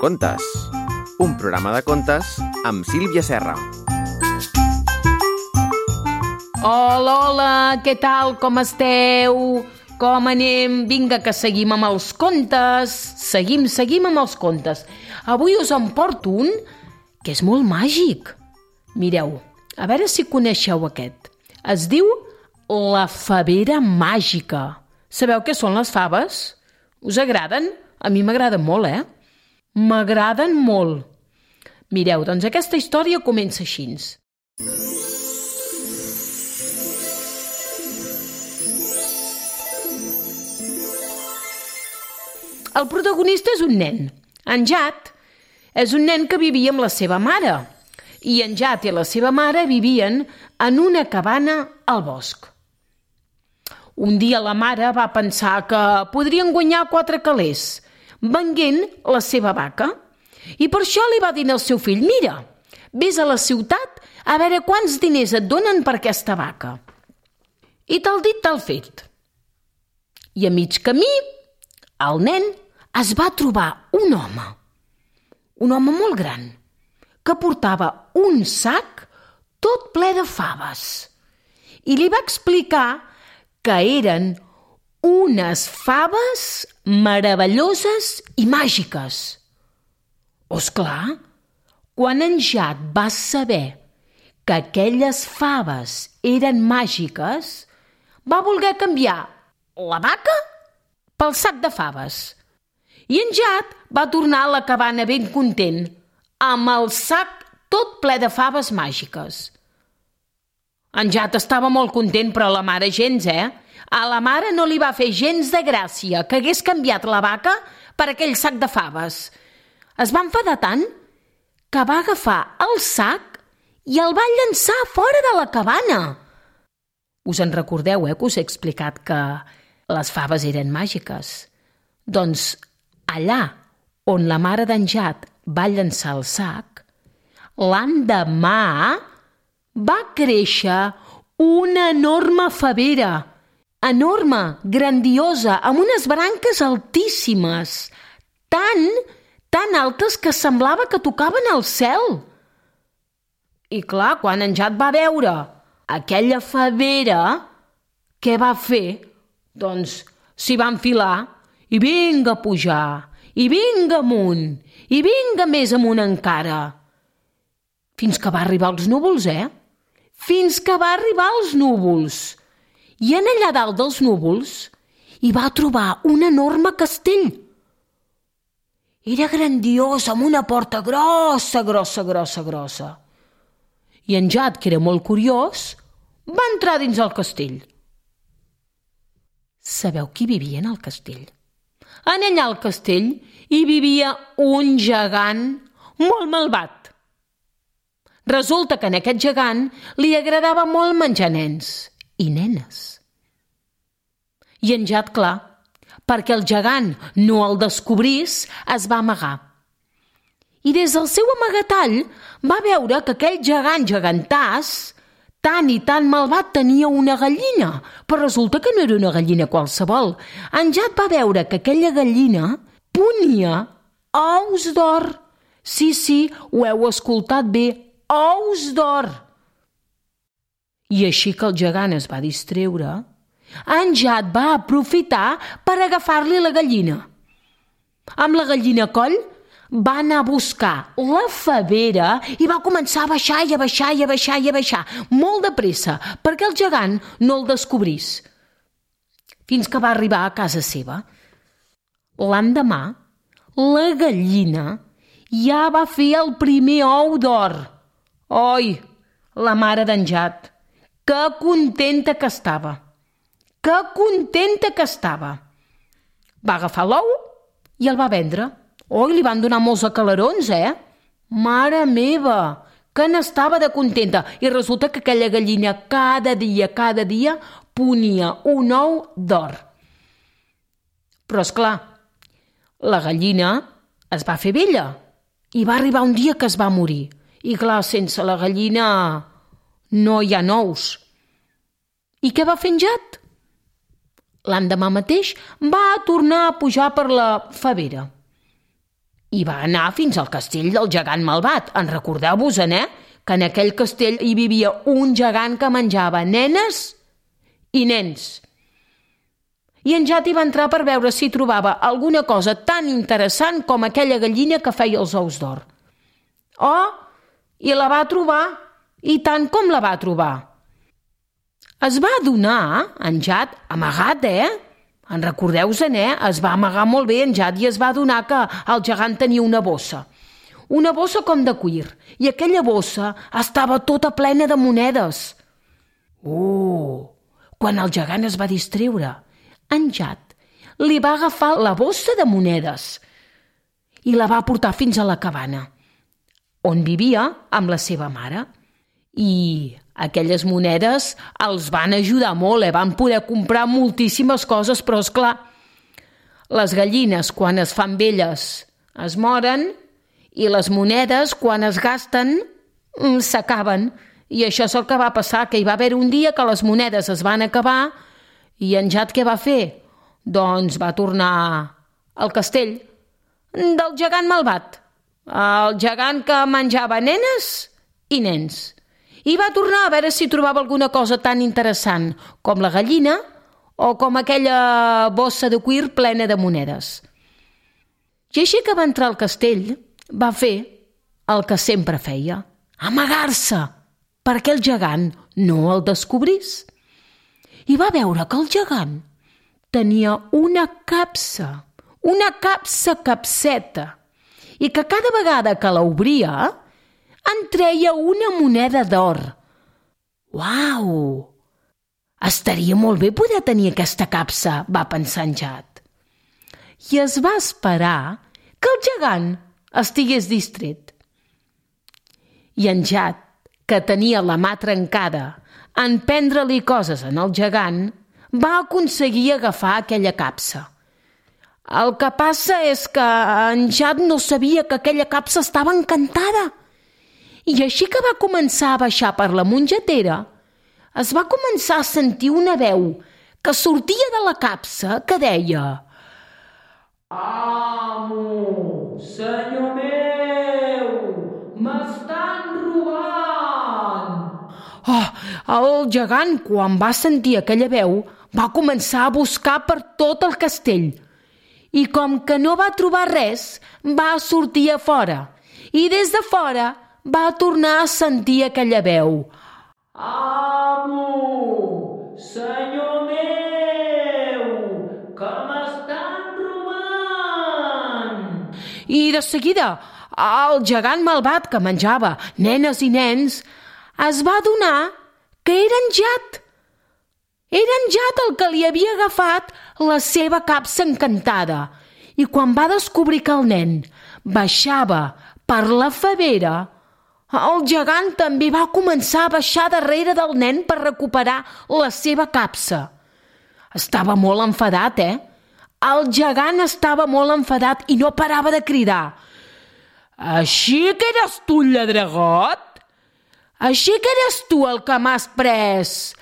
Contes, un programa de contes amb Sílvia Serra. Hola, hola, què tal, com esteu? Com anem? Vinga, que seguim amb els contes. Seguim amb els contes. Avui us en porto un que és molt màgic. Mireu, a veure si coneixeu aquest. Es diu La Favera Màgica. Sabeu què són les faves? Us agraden? A mi m'agraden molt, M'agraden molt. Mireu, doncs aquesta història comença així. El protagonista és un nen. En Jat és un nen que vivia amb la seva mare. I en Jat i la seva mare vivien en una cabana al bosc. Un dia la mare va pensar que podrien guanyar 4 calés venguent la seva vaca. I per això li va dir al seu fill: mira, vés a la ciutat a veure quants diners et donen per aquesta vaca. I tal dit, tal fet. I a mig camí, el nen es va trobar un home molt gran, que portava un sac tot ple de faves. I li va explicar que eren unes faves meravelloses i màgiques. Esclar, quan en Jat va saber que aquelles faves eren màgiques, va voler canviar la vaca pel sac de faves. I en Jat va tornar a la cabana ben content, amb el sac tot ple de faves màgiques. En Jat estava molt content, però la mare gens, A la mare no li va fer gens de gràcia que hagués canviat la vaca per aquell sac de faves. Es va enfadar tant que va agafar el sac i el va llançar fora de la cabana. Us en recordeu, que us he explicat que les faves eren màgiques? Doncs allà on la mare d'en Jat va llançar el sac, l'endemà va créixer una enorme favera, enorme, grandiosa, amb unes branques altíssimes, tan altes que semblava que tocaven el cel. I clar, quan en Jat va veure aquella favera, què va fer? Doncs s'hi va enfilar i vinga a pujar, i vinga amunt, i vinga més amunt encara. Fins que va arribar als núvols, Fins que va arribar als núvols. I en allà dalt dels núvols hi va trobar un enorme castell. Era grandiós, amb una porta grossa. I en Jat, que era molt curiós, va entrar dins el castell. Sabeu qui vivia en el castell? En allà al castell hi vivia un gegant molt malvat. Resulta que a aquest gegant li agradava molt menjar nens i nenes. I en Jat, clar, perquè el gegant no el descobrís, es va amagar. I des del seu amagatall va veure que aquell gegant gegantàs, tan i tan malvat, tenia una gallina, però resulta que no era una gallina qualsevol. En Jat va veure que aquella gallina ponia ous d'or. Sí, ho heu escoltat bé, ous d'or. I així que el gegant es va distreure, en Jat va aprofitar per agafar-li la gallina. Amb la gallina a coll va anar a buscar la favera i va començar a baixar i a baixar, molt de pressa, perquè el gegant no el descobrís. Fins que va arribar a casa seva. L'endemà, la gallina ja va fer el primer ou d'or. Oi, la mare d'en Jat, que contenta que estava. Va agafar l'ou i el va vendre. Oi, li van donar molts acalarons, Mare meva, que n'estava de contenta. I resulta que aquella gallina cada dia ponia un ou d'or. Però, esclar, la gallina es va fer vella i va arribar un dia que es va morir. I clar, sense la gallina no hi ha nous. I què va fer en Jat? L'endemà mateix va tornar a pujar per la favera. i va anar fins al castell del gegant malvat. En recordeu-vos-en, que en aquell castell hi vivia un gegant que menjava nenes i nens. I en Jat hi va entrar per veure si trobava alguna cosa tan interessant com aquella gallina que feia els ous d'or. Oh, i la va trobar, i tant com la va trobar. Es va adonar, en Jat, amagat, En recordeu-se'n, es va amagar molt bé en Jat i es va adonar que el gegant tenia una bossa com de cuir, i aquella bossa estava tota plena de monedes. Quan el gegant es va distreure, en Jat li va agafar la bossa de monedes i la va portar fins a la cabana, on vivia amb la seva mare. I aquelles monedes els van ajudar molt, van poder comprar moltíssimes coses, però és clar, les gallines quan es fan velles es moren i les monedes quan es gasten s'acaben. I això és el que va passar, que hi va haver un dia que les monedes es van acabar i en Jat què va fer? Doncs va tornar al castell del gegant malvat, el gegant que menjava nenes i nens. I va tornar a veure si trobava alguna cosa tan interessant com la gallina o com aquella bossa de cuir plena de monedes. I així que va entrar al castell, va fer el que sempre feia, amagar-se, perquè el gegant no el descobrís. I va veure que el gegant tenia una capsa capseta, i que cada vegada que l'obria en treia una moneda d'or. Uau! Estaria molt bé poder tenir aquesta capsa, va pensar en Jat. I es va esperar que el gegant estigués distret. I en Jat, que tenia la mà trencada en prendre-li coses en el gegant, va aconseguir agafar aquella capsa. El que passa és que en Jat no sabia que aquella capsa estava encantada. I així que va començar a baixar per la mongetera, es va començar a sentir una veu que sortia de la capsa que deia: «Amo, senyor meu, m'estan robant!» El gegant, quan va sentir aquella veu, va començar a buscar per tot el castell. I com que no va trobar res, va sortir a fora. I des de fora va tornar a sentir aquella veu. «Amo, senyor meu, que m'estan robant!» I de seguida, el gegant malvat que menjava nenes i nens es va adonar que era en Jat. Era en Jat el que li havia agafat la seva capsa encantada. I quan va descobrir que el nen baixava per la favera, el gegant també va començar a baixar darrere del nen per recuperar la seva capsa. Estava molt enfadat, El gegant estava molt enfadat i no parava de cridar. «Així que eres tu el lladregot? Així que eres tu el que m'has pres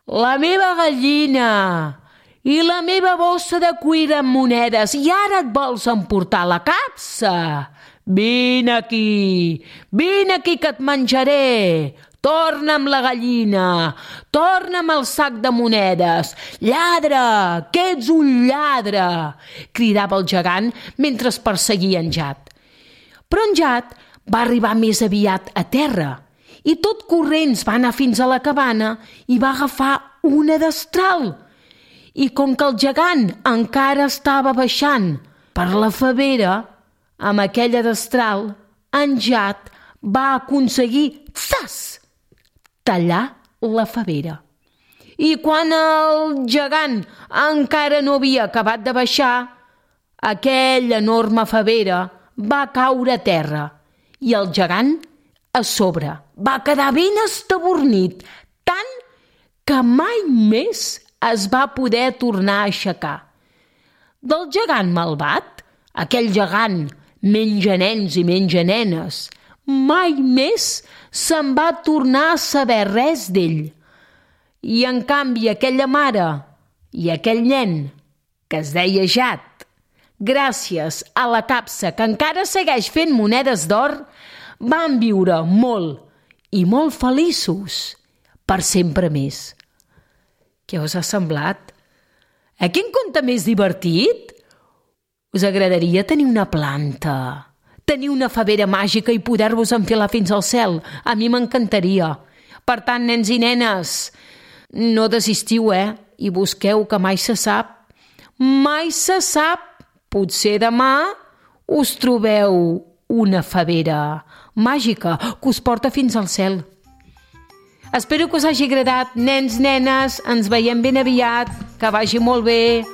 la meva gallina i la meva bossa de cuir amb monedes i ara et vols emportar la capsa? Vine aquí que et menjaré. Torna'm la gallina, torna'm el sac de monedes. Lladre, que ets un lladre!» cridava el gegant mentre es perseguia en Jat. Però en Jat va arribar més aviat a terra i tot corrents va anar fins a la cabana i va agafar una destral. I com que el gegant encara estava baixant per la favera, amb aquella destral, en Jat va aconseguir, tallar la favera. I quan el gegant encara no havia acabat de baixar, aquella enorme favera va caure a terra i el gegant a sobre va quedar ben estabornit, tant que mai més es va poder tornar a aixecar. Del gegant malvat, aquell gegant menja nens i menja nenes, mai més se'n va tornar a saber res d'ell. I en canvi aquella mare i aquell nen, que es deia Jat, gràcies a la capsa que encara segueix fent monedes d'or, van viure molt i molt feliços per sempre més. Què us ha semblat? Quin conte més divertit? Us agradaria tenir una planta, tenir una favera màgica i poder-vos enfilar fins al cel? A mi m'encantaria. Per tant, nens i nenes, no desistiu, i busqueu, que mai se sap. Mai se sap. Potser demà us trobeu una favera màgica que us porta fins al cel. Espero que us hagi agradat, nens, nenes. Ens veiem ben aviat. Que vagi molt bé.